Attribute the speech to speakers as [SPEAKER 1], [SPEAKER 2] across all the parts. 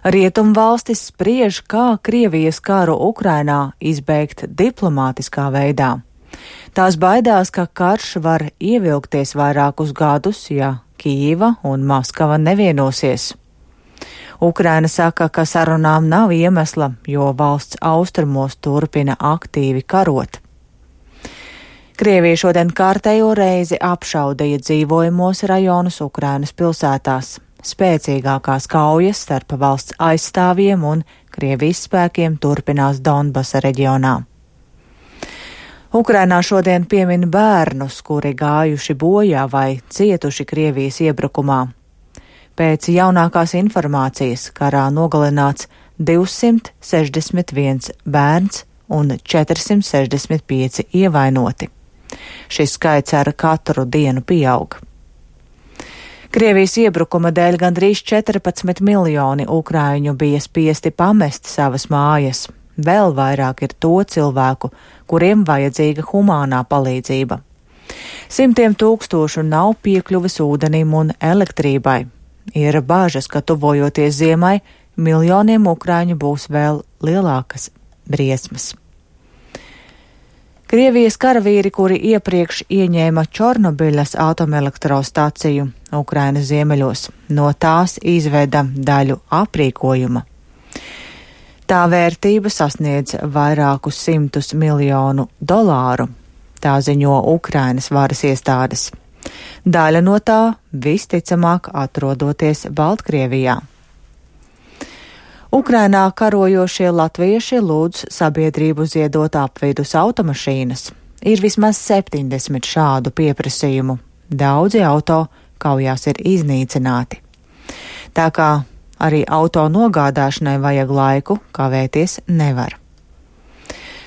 [SPEAKER 1] Rietumvalstis spriež, kā Krievijas karu Ukrainā izbeigt diplomātiskā veidā. Tās baidās, ka karš var ievilkties vairākus gadus, ja Kijeva un Maskava nevienosies. Ukraina saka, ka sarunām nav iemesla, jo valsts austrumos turpina aktīvi karot. Krievija šodien kārtējo reizi apšaudīja dzīvojamos rajonus Ukrainas pilsētās. Spēcīgākās kaujas starp valsts aizstāvjiem un Krievijas spēkiem turpinās Donbasa reģionā. Ukrainā šodien piemin bērnus, kuri gājuši bojā vai cietuši Krievijas iebrukumā. Pēc jaunākās informācijas karā nogalināts 261 bērns un 465 ievainoti. Šis skaits ar katru dienu pieaug. Krievijas iebrukuma dēļ gandrīz 14 miljoni ukraiņu bija spiesti pamest savas mājas. Vēl vairāk ir to cilvēku, kuriem vajadzīga humānā palīdzība. Simtiem tūkstošu nav piekļuvis ūdenim un elektrībai. Ir bāžas, ka tuvojoties ziemai, miljoniem ukraiņu būs vēl lielākas briesmas. Krievijas karavīri, kuri iepriekš ieņēma Čornobiļas atomelektrostaciju Ukrainas ziemeļos, no tās izveda daļu aprīkojuma. Tā vērtība sasniedz vairākus $100 miljonu, tā ziņo Ukrainas varas iestādes. Daļa no tā visticamāk atrodoties Baltkrievijā. Ukrainā karojošie latvieši lūdz sabiedrību ziedot apvidus automašīnas. Ir vismaz 70 šādu pieprasījumu. Daudzi auto kaujās ir iznīcināti. Tā kā arī auto nogādāšanai vajag laiku, kavēties nevar.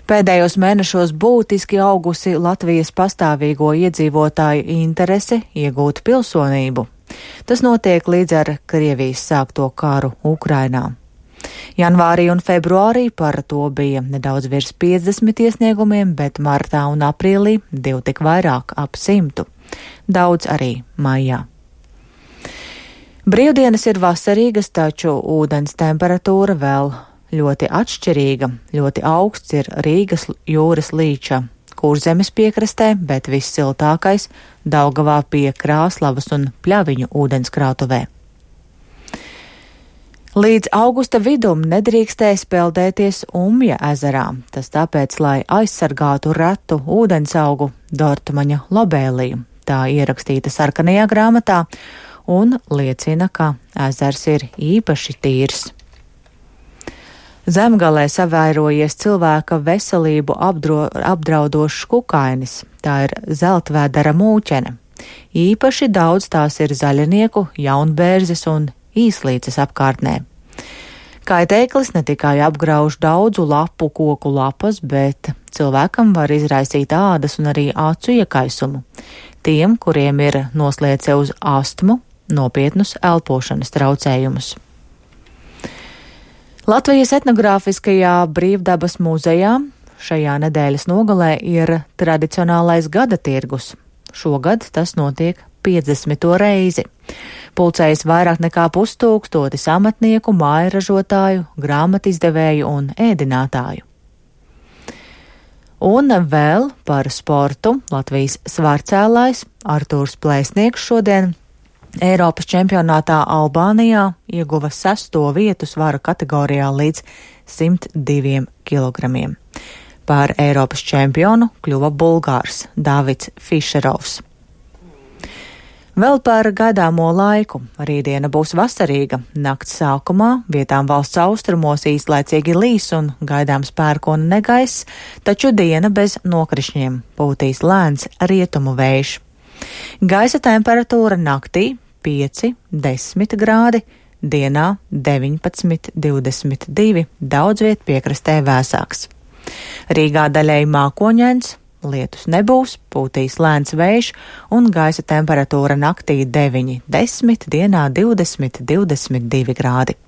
[SPEAKER 1] Pēdējos mēnešos būtiski augusi Latvijas pastāvīgo iedzīvotāju interese iegūt pilsonību. Tas notiek līdz ar Krievijas sākto karu Ukrainā. Janvārī un februārī par to bija nedaudz virs 50 iesniegumiem, bet martā un aprīlī tik vairāk ap 100. Daudz arī maijā. Brīvdienas ir vasarīgas, taču ūdens temperatūra vēl ļoti atšķirīga. Ļoti augsts ir Rīgas jūras līča Kurzemes piekrastē, bet vissiltākais Daugavā pie Krāslavas un Pļaviņu ūdenskrātuvē. Līdz augusta vidum nedrīkstēs peldēties Umja ezerā, tas tāpēc, lai aizsargātu retu ūdensaugu Dortmaņa lobēliju. Tā ierakstīta sarkanajā grāmatā un liecina, ka ezers ir īpaši tīrs. Zemgalē savairojies cilvēka veselību apdraudošs kukainis, tā ir zeltvēdera mūķene. Īpaši daudz tās ir zaļinieku, jaunbērzes un īslīces apkārtnē. Kaitēklis ne tikai apgrauž daudzu lapu koku lapas, bet cilvēkam var izraisīt ādas un arī acu iekaisumu. Tiem, kuriem ir noslēdze uz astmu, nopietnus elpošanas traucējumus. Latvijas etnogrāfiskajā Brīvdabas muzejā šajā nedēļas nogalē ir tradicionālais gada tirgus. Šogad tas notiek 50. reizi. Pulcējas vairāk nekā 1000 amatnieku, mājražotāju, grāmatizdevēju un ēdinātāju. Un vēl par sportu Latvijas svārcēlājs Artūrs Plēsnieks šodien Eiropas čempionātā Albānijā ieguva 6. vietu svara kategorijā līdz 102 kilogramiem. Par Eiropas čempionu kļuva Bulgārs Davids Fišerovs. Vēl par gaidāmo laiku. Rītdiena būs vasarīga. Nakts sākumā vietām valsts austrumos īslaicīgi līs un gaidāms pērkona negaiss, taču diena bez nokrišņiem, pūtīs lēns rietumu vējš. Gaisa temperatūra naktī 5–10 grādi, dienā 19–22, daudz viet piekrastē vēsāks. Rīgā daļēji mākoņains, lietus nebūs, pūtīs lēns vējš un gaisa temperatūra naktī 9–10, dienā 20–22 grādi.